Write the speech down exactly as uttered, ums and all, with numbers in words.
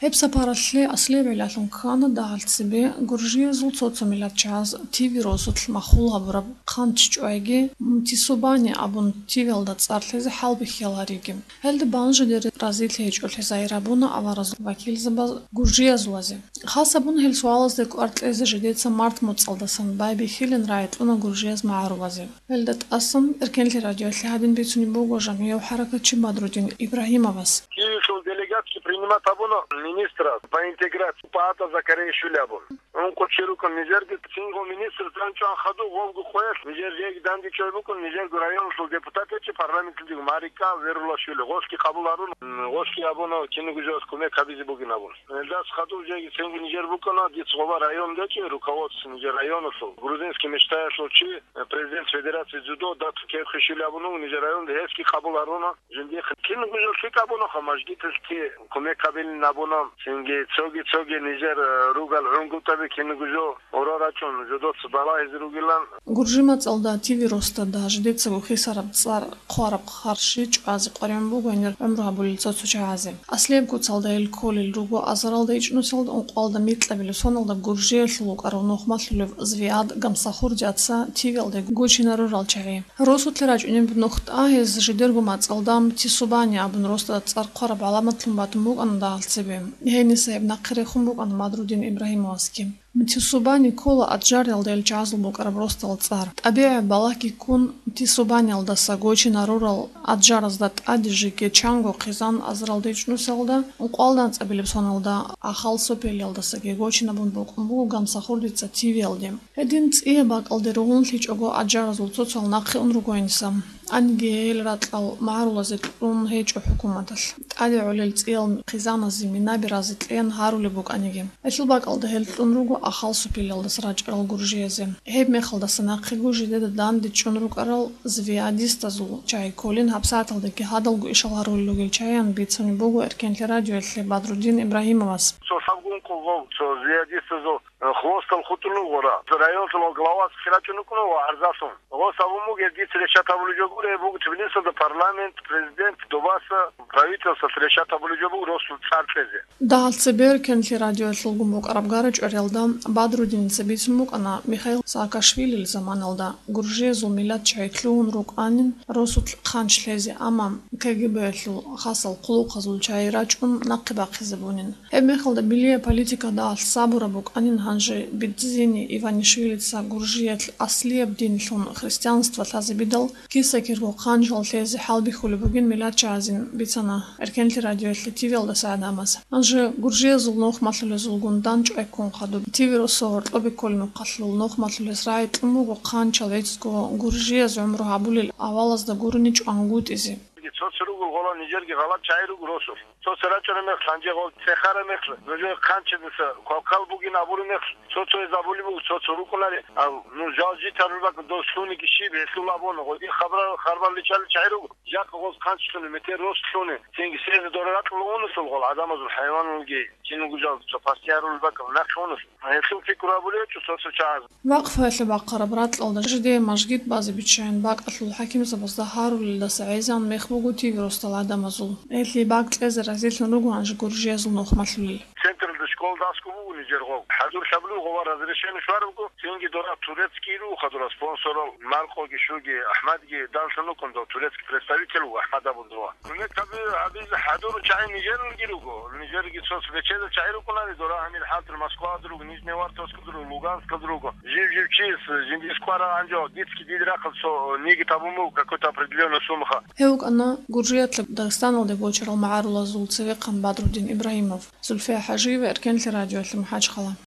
Гьеб сапаралъе аслияб гӀиллалъун ккана дагьал цебе гуржиязул цо-цо миллатчагӀаз ТВ росулъ махул гьабураб хъанч чӀвайги, Мтисубани абун ТВ-ялда цӀар лъезе хӀалбихьиялариги. Гьелда бан жидер разилъи гьечӀолъи загьир гьабуна аваразул вакилзабаз гуржиязулазе. Хас гьабун гьел суалазде кӀвар кьезе жидеца март моцӀалдасан байбихьилин рагӀи кьуна гуржияз магӀарулазе. Гьелда тӀасан Эркенлъи радиоялъе гьадин бицунеб буго жамгӀияв хӀаракатчи Бадрудин Ибрагьимовас. Киевлъул делегатки принимать гьабуна министра по интеграции ПААТА Закария Шули абун. Ункъо чи рукӀун нижерги цинго министр данчӀван хадуб гъовго къоялъ нижер жеги дандечӀой букӀун, нижерго районалъул депутат гьечӀо, парламентлъидего Марика Верулашвили, гъосги къабул гьарун, гъосги абуна киного жоялъ кумек гьабизе бугин абун. Гьелдас хадуб жеги цинги нижер букӀана, дица гъоба район гьечӀо, руководство нижер районалъул, грузинский мечтаялъул чи, президент Федерации дзюдо Дату Кевхишвили абун вуго нижер районде, гьесги къабул гьаруна. Жиндихъ кинго жо лъикӀ абунаха, мажгиталъги кумек гьабилин абуна, цинги цоги-цоги нижер, э, ругал гӀунгутӀаби кинго жо гӀурал рачӀун жодоца балагьизе ругилан. Гуржи мацӀалда ТВ росдада жидецаго хисараб цӀар хъвараб харщи чӀвазе къваригӀун буго гьенир гӀумру гьабулел цо-цо чагӀазе. Аслияб куцалда гьел кколел руго азаралда ичӀнусиялда ункъоялда микьабилеб соналда Гуржиялъул вукӀарав нухмалъулев Звиад Гамсахурдица ТВ-ялде гучинарурал чагӀи. Росулъе рачӀунеб нух тӀа гьез жидерго мацӀалда Мтисубани абун росдада цӀар хъвараб гӀаламатлъун батун букӀана дагьал цебе. Гьениса гьеб нахъе рехун букӀана Бадрудин Ибрагьимовасги. Мтисубани ккола Аджаралда гьел чагӀазул букӀараб росдал цӀар. ТӀабигӀи балагьги ккун, Мтисубаниялдаса гочинарурал Аджаразда тӀаде жеги чанго хъизан азаралда ичӀнусиялда, ункъоялда анцӀабилеб соналда Ахал Сопелиялдасаги гочинабун букӀун буго Гамсахурдица ТВ-ялде. Гьедин цӀияб бакӀалде ругьунлъичӀого Аджаразул цоцал нахъе ун руго гьениса. Аниги гьел ракьал магӀарулазе кьун гьечӀо хӀукуматалъ. ТӀаде гӀолел цӀиял хъизаназе минаби разе кьеян гьарулеб букӀаниги. Гьелъул бакӀалда гьел кьун руго Ахал Сопелиялдаса рачӀарал гуржиязе. Гьеб мехалдаса нахъего жидеда данде чӀун рукӀарал звиадистазул чагӀи кколин гьабсагӀаталдаги гьадалго ишал гьарулел ругел чагӀиян бицунеб буго Эркенлъи радиоялъе Бадрудин Ибрагьимовас. Цо лъабгун къулгъов, цо звиадистазул Хвостал хутӀун вугора. Районлъул главас хирачӀун вукӀуна ва гӀарзалъун. Гъос абун бугеб, дица решат гьабулеб жо гуро, гьеб буго Тбилисалда парламент, президент, добаса, правительствоялъ решат гьабулеб жо буго росул цӀар кьезе. Дагьал цебе Эркенлъи радиоялъулгун букӀараб гара-чӀвариялда Бадрудиница бицун букӀана Михаил Саакашвилил заманалда гуржиязул миллат чагӀи лъугьун рукӀанин росулъ хъанч лъезе, амма КГБ-ялъул хасал хъулухъазул чагӀи рачӀун нахъе бахъизабунин. Гьеб мехалда билияб политикада сабураб букӀанин гьанже Бидзини Иванишвилица гуржиялъ аслияб динлъун христианство лъазабидал, киса-кирго хъанчал лъезе хӀалбихьулеб бугин миллатчагӀазин бицана Эркенлъи радиоялъе ТВ-ялдаса гӀадамаз. Гьанже гуржиязул нухмалъулезулгун данчӀвай ккун хадуб ТВ-росо гьоркьобе кколеб мехалъул нухмалъулез рагӀи кьун буго хъанчал гӀицӀго гуржияз гӀумру гьабулел авалазда гурони чӀвангутӀизе. Цо-цо ругел гъола нижерги гъалаб чагӀи руго росулъ. Цо-цо рачӀараб мехалъ, гьанже гъол цехараб мехалъ, нужер хъанчидаса квалквал бугин абураб мехалъ, цо-цояз абулеб буго, цо-цо рукӀунари, а, ну, жал житарулеб бакӀ дос лъуниги щиб, гьелъул абуна, гъодин хабар-, харбал риччалел чагӀи руго, жакъа гъоз хъанч лъуни, метер рос лъуни, цинги лъезе дора ракьула унусул гъол гӀадамазул хӀайваналги, киналго жал цо пасти гьарулеб бакӀ нахъе унус. Гьелъул пикру гьабулев гьечӀо цо-цо чагӀаз. Вакъфаялъе бахъараб ракьалда жидее мажгит базе биччайин бакӀалъул хӀакимзабазда гьарулелдаса гӀезегӀан мех буго ТВ-росдал гӀадамазул. Гьелъие бакӀ кьезе разилъун руго гьанже гуржиязул нухмалъулел. Централда школа дасго буго нижер гъов. ХӀадур лъабулев гъова разрешение щварабго, цинги дора турецкий руго хадура спонсорал, Маркъоги, щуги, АхӀмадги, данлъун рукӀун дов турецкий представитель вуго, АхӀмад абун дова. Кумек гьаби-, гьабизе хӀадуру чагӀи нижералги руго. Нижерги цо свечеда чагӀи рукӀунани, дора гьанир хӀалтӀир Москвада руго, Нижний Вартовскалда руго, Луганскалда руго. Жив-жив чияс жиндис квара гьанже, дицги дида рахъал цо ниги табун буго какой-то определённая сумаха. Гьев вукӀана Гуржиялъе Дагъистаналде гочарал магӀарулазул цевехъан Бадрудин Ибрагьимов. Зульфия ХӀажиева, Эркенлъи радиоялъе МахӀачхъала.